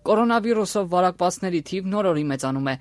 Կորոնավիրուսով վարակվածների թիվն օր-օրի մեծանում է։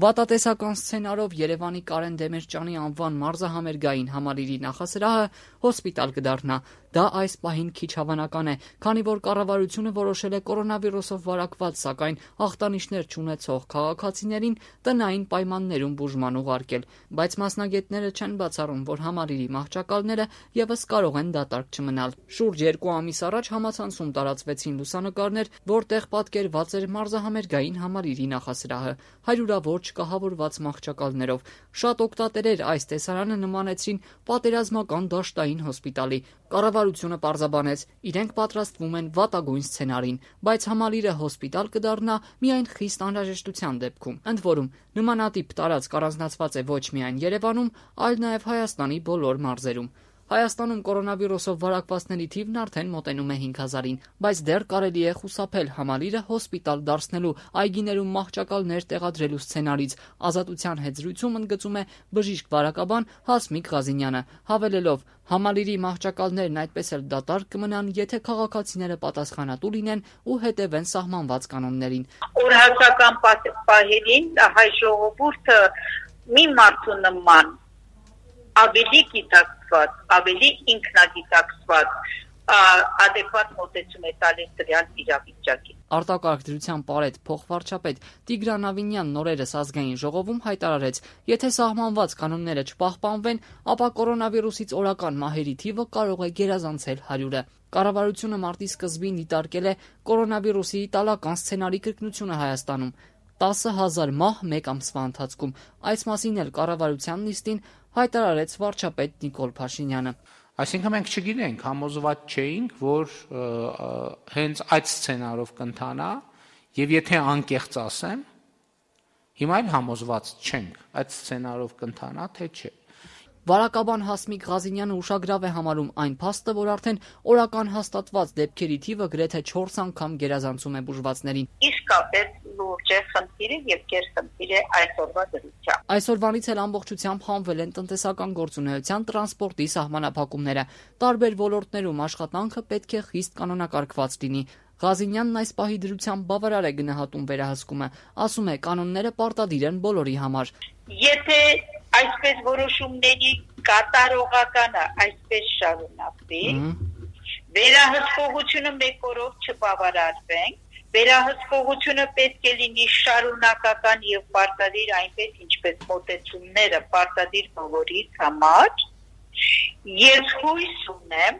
Վատատեսական սցենարով Երևանի Կարեն Դեմիրճյանի անվան մարզահամերգային համալիրի նախասրահը հոսպիտալ կդառնա։ Դա այս պահին քիչ հավանական է, քանի որ կառավարությունը որոշել է կորոնավիրուսով վարակված, սակայն ախտանիշներ չունեցող քաղաքացիներին տնային պայմաններում բուժման ուղարկել, բայց մասնագետները չեն բացառում, որ համալիրի մահճակալները եւս կարող են դատարկ չմնալ։ Շուրջ 2 ամիս առաջ համացանցում տարածվեցին լուսանկարներ, որտեղ պատկերված էր մարզահամերգային համալիրի նախասրահը հարյուրավոր չկահավորված մահճակալներով։ Շատ օգտատերեր այս տեսարանը նմանեցրին պատերազմական դաշտային հոսպիտալի։ Կառավարությունը պարզաբանեց, իրենք պատրաստվում են վատագույն սցենարին, բայց համալիրը հոսպիտալ կդառնա միայն խիստ անհրաժեշտության դեպքում։ Ընդ որում, նմանատիպ տարածք առանձնացված է ոչ միայն Երևանում, այլ նաև Հայաստանի բոլոր մարզերում։ Հայաստանում կորոնավիրուսով վարակվածների թիվն արդեն մոտենում է 5000-ին, բայց դեռ կարելի է խուսափել համալիրը հոսպիտալ դարձնելու, այգիներում մահճակալներ տեղադրելու սցենարից։ Ազատության հետ զրույցում ընդգծում է բժիշկ վարակաբան Հասմիկ Ղազինյանը, հավելելով. համալիրի մահճակալներն այդպես էլ դատարկ կմնան, եթե քաղաքացիները պատասխանատու լինեն ու հետևեն սահմանված կանոններին։ Օրհասական պահերին հայ ժողովուրդը մի մարդու նման ավելի գիտակցված, ավելի ինքնագիտակցված, adekvat մոտեցում է տալիս դրան իրավիճակին։ Արտակարգ դրության պարետ փոխվարչապետ Տիգրան Ավինյանն օրերս ազգային ժողովում հայտարարեց, եթե սահմանված կանոնները չպահպանվեն, ապա կորոնավիրուսից օրական մահերի թիվը կարող է գերազանցել 100-ը։ Կառավարությունը մարտի սկզբին դիտարկել է կորոնավիրուսի իտալական սցենարի կրկնությունը Հայաստանում՝ 10,000 մահ մեկ ամսվա ընթացքում։ Այս մասին էլ կառավարության նիստին հայտարարեց վարչապետ Նիկոլ Փաշինյանը։ Այսինքն մենք չգիտենք, համոզված չէինք, որ հենց այդ սցենարով կընթանա, եւ եթե անկեղծ ասեմ, հիմա էլ համոզված չենք, այդ սցենարով կընթանա, թե չէ։ Վարակաբան Հասմիկ Ղազինյանը ուշագրավ է համարում այն փաստը, որ արդեն օրական հաստատված դեպքերի թիվը գրեթե 4 անգամ գերազանցում է բուժվածներին։ Իսկապես լուրջ է խնդիրը եւ կերխնդիր է այսօրվա դրությամբ։ Այսօրվանից էլ ամբողջությամբ հանվել են տնտեսական գործունեության, տրանսպորտի սահմանափակումները։ Տարբեր ոլորտներում աշխատանքը պետք է խիստ կանոնակարգված լինի։ Ղազինյանն այս պահի դրությամբ բավարար է գնահատում վերահսկումը, ասում է կանոնները պարտադիր են բոլորի համար։ Եթե այսպես որոշումների կատարողականը այսպես շարունակվի, վերահսկողությունը մեկ օրով չբավարարվենք, վերահսկողությունը պետք է լինի շարունակական եւ պարտադիր, այնպես ինչպես մոտեցումները պարտադիր բոլորիս համար։ Ես հույս ունեմ,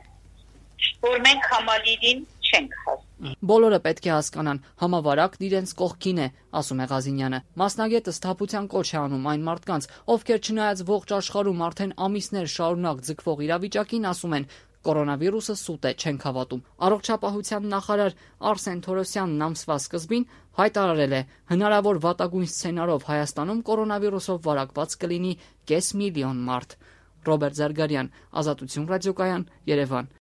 որ մենք համալիրին չենք հասնում։ Բոլորը պետք է հասկանան, համավարակն իրենց կողքին է, ասում է Ղազինյանը։ Մասնագետը սթափության կոչ է անում այն մարդկանց, ովքեր չնայած ողջ աշխարհում արդեն ամիսներ շարունակ ձգվող իրավիճակին ասում են. կորոնավիրուսը սուտ է, չենք հավատում։ Առողջապահության նախարար Արսեն Թորոսյանն ամսվա սկզբին հայտարարել է, հնարավոր վատագույն սցենարով Հայաստանում կորոնավիրուսով վարակված կլինի 500,000 մարդ։ Ռոբերտ Զարգարյան, Ազատություն ռադիոկայան, Երևան։